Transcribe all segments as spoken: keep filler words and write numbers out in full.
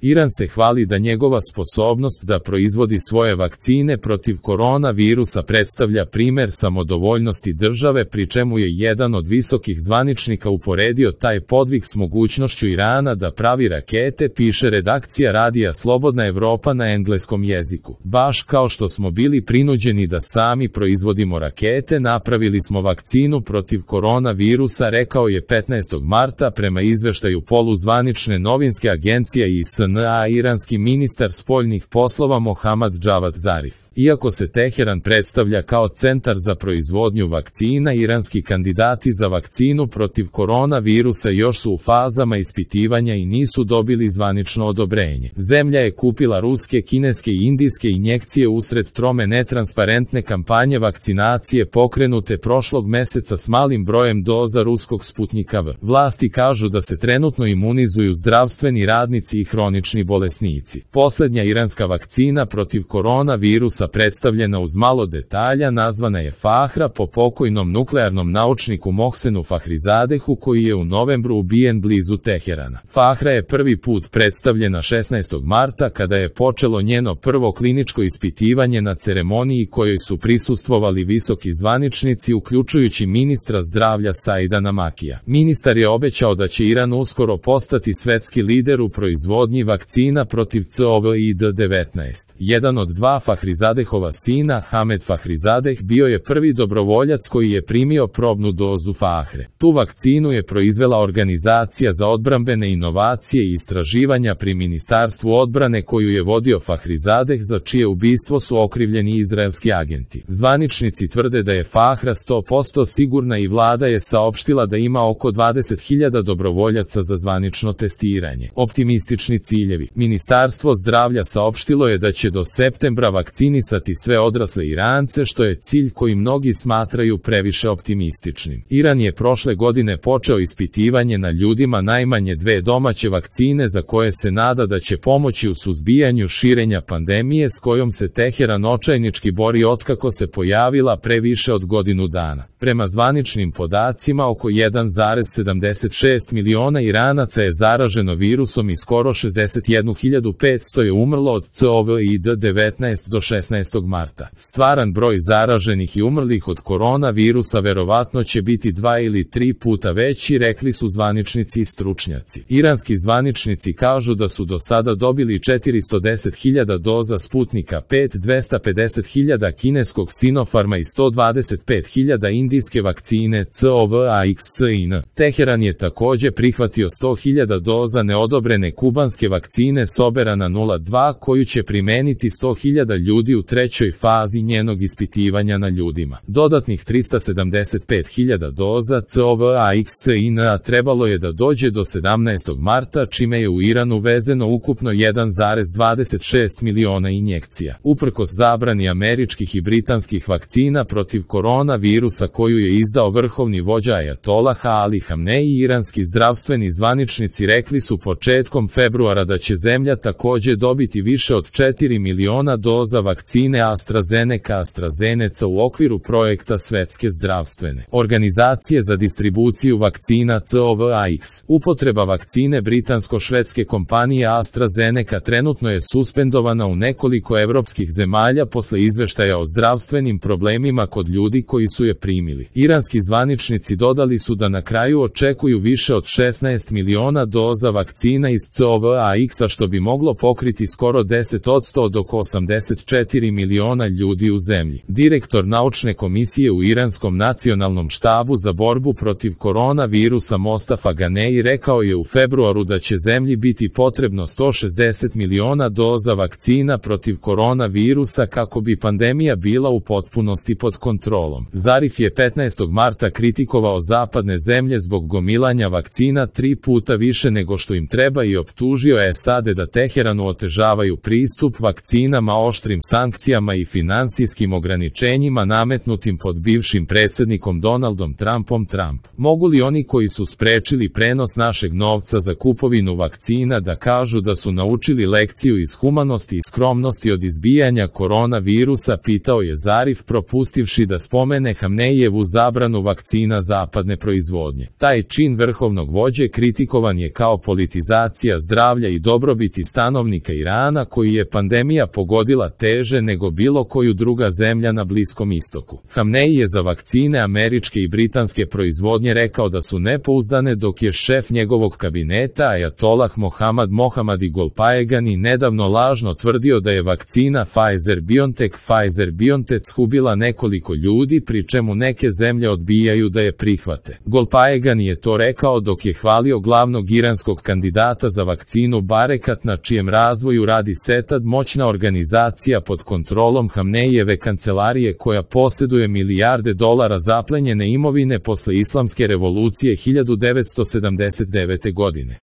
Iran se hvali da njegova sposobnost da proizvodi svoje vakcine protiv koronavirusa predstavlja primer samodovoljnosti države, pri čemu je jedan od visokih zvaničnika uporedio taj podvig s mogućnošću Irana da pravi rakete, piše redakcija radija Slobodna Evropa na engleskom jeziku. Baš kao što smo bili prinuđeni da sami proizvodimo rakete, napravili smo vakcinu protiv koronavirusa, rekao je petnaestog marta prema izveštaju poluzvanične novinske agencije I S N A iranski ministar spoljnih poslova Mohammad Javad Zarif. Iako se Teheran predstavlja kao centar za proizvodnju vakcina, iranski kandidati za vakcinu protiv koronavirusa još su u fazama ispitivanja i nisu dobili zvanično odobrenje. Zemlja je kupila ruske, kineske i indijske injekcije usred trome netransparentne kampanje vakcinacije pokrenute prošlog meseca s malim brojem doza ruskog Sputnika V. Vlasti kažu da se trenutno imunizuju zdravstveni radnici i hronični bolesnici. Poslednja iranska vakcina protiv koronavirusa predstavljena uz malo detalja nazvana je Fahra po pokojnom nuklearnom naučniku Mohsenu Fahrizadehu koji je u novembru ubijen blizu Teherana. Fahra je prvi put predstavljena šesnaestog marta kada je počelo njeno prvo kliničko ispitivanje na ceremoniji kojoj su prisustvovali visoki zvaničnici uključujući ministra zdravlja Saida Namakija. Ministar je obećao da će Iran uskoro postati svetski lider u proizvodnji vakcina protiv COVID devetnaest. Jedan od dva Fahrizadeh Fahrizadehova sina, Hamed Fahrizadeh, bio je prvi dobrovoljac koji je primio probnu dozu Fahre. Tu vakcinu je proizvela Organizacija za odbrambene inovacije i istraživanja pri Ministarstvu odbrane koju je vodio Fahrizadeh, za čije ubistvo su okrivljeni izraelski agenti. Zvaničnici tvrde da je Fahra sto posto sigurna i vlada je saopštila da ima oko dvadeset hiljada dobrovoljaca za zvanično testiranje. Optimistični ciljevi. Ministarstvo zdravlja saopštilo je da će do septembra vakcinisati sve odrasle Irance, što je cilj koji mnogi smatraju previše optimističnim. Iran je prošle godine počeo ispitivanje na ljudima najmanje dve domaće vakcine za koje se nada da će pomoći u suzbijanju širenja pandemije s kojom se Teheran očajnički bori otkako se pojavila pre više od godinu dana. Prema zvaničnim podacima, oko jedan zarez sedamdeset šest miliona Iranaca je zaraženo virusom i skoro šezdeset jednu hiljadu petsto je umrlo od COVID devetnaest do šesnaestog marta. Stvaran broj zaraženih i umrlih od koronavirusa verovatno će biti dva ili tri puta veći, rekli su zvaničnici i stručnjaci. Iranski zvaničnici kažu da su do sada dobili četiristo deset hiljada doza Sputnika pet, dvesta pedeset hiljada kineskog Sinopharma i sto dvadeset pet hiljada indijske vakcine Covaxin. Teheran je takođe prihvatio sto hiljada doza neodobrene kubanske vakcine Soberana nula dva koju će primeniti sto hiljada ljudi u trećoj fazi njenog ispitivanja na ljudima. Dodatnih trista sedamdeset pet hiljada doza Covaxin trebalo je da dođe do sedamnaestog marta, čime je u Iran uvezeno ukupno jedan zarez dvadeset šest miliona injekcija. Uprkos zabrani američkih i britanskih vakcina protiv koronavirusa koju je izdao vrhovni vođa Ajatolah Ali Hamneji, iranski zdravstveni zvaničnici rekli su početkom februara da će zemlja takođe dobiti više od četiri miliona doza vakcine AstraZeneca AstraZeneca u okviru projekta Svetske zdravstvene organizacije za distribuciju vakcina Covax. Upotreba vakcine britansko-švedske kompanije AstraZeneca trenutno je suspendovana u nekoliko evropskih zemalja posle izveštaja o zdravstvenim problemima kod ljudi koji su je primili. Iranski zvaničnici dodali su da na kraju očekuju više od šesnaest miliona doza vakcina iz Covaxa, što bi moglo pokriti skoro deset posto od oko osamdeset četiri miliona ljudi u zemlji. Direktor naučne komisije u Iranskom nacionalnom štabu za borbu protiv koronavirusa Mostafa Ganeji rekao je u februaru da će zemlji biti potrebno sto šezdeset miliona doza vakcina protiv koronavirusa kako bi pandemija bila u potpunosti pod kontrolom. Zarif je petnaestog marta kritikovao zapadne zemlje zbog gomilanja vakcina tri puta više nego što im treba i optužio SAD da Teheranu otežavaju pristup vakcinama oštrim sankcijama i finansijskim ograničenjima nametnutim pod bivšim predsjednikom Donaldom Trumpom. Trump: mogu li oni koji su sprečili prenos našeg novca za kupovinu vakcina da kažu da su naučili lekciju iz humanosti i skromnosti od izbijanja koronavirusa, pitao je Zarif, propustivši da spomene Hamnejijevu Hamenejevu zabranu vakcina zapadne proizvodnje. Taj čin vrhovnog vođe kritikovan je kao politizacija zdravlja i dobrobiti stanovnika Irana, koji je pandemija pogodila teže nego bilo koju druga zemlja na Bliskom istoku. Hamenei je za vakcine američke i britanske proizvodnje rekao da su nepouzdane, dok je šef njegovog kabineta Ajatolah Mohammad Mohammadi Golpayegani nedavno lažno tvrdio da je vakcina Pfizer-BioNTech Pfizer-BioNTech ubila nekoliko ljudi, pri čemu neke zemlje odbijaju da je prihvate. Golpayegani je to rekao dok je hvalio glavnog iranskog kandidata za vakcinu Barekat, na čijem razvoju radi Setad, moćna organizacija pod kontrolom Hamenejeve kancelarije koja posjeduje milijarde dolara zaplenjene imovine posle islamske revolucije hiljadu devetsto sedamdeset devete. godine.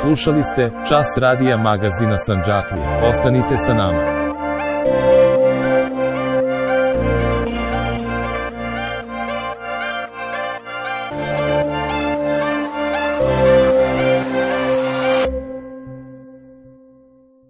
Slušali ste Čas radija magazina Sandžaklija. Ostanite sa nama.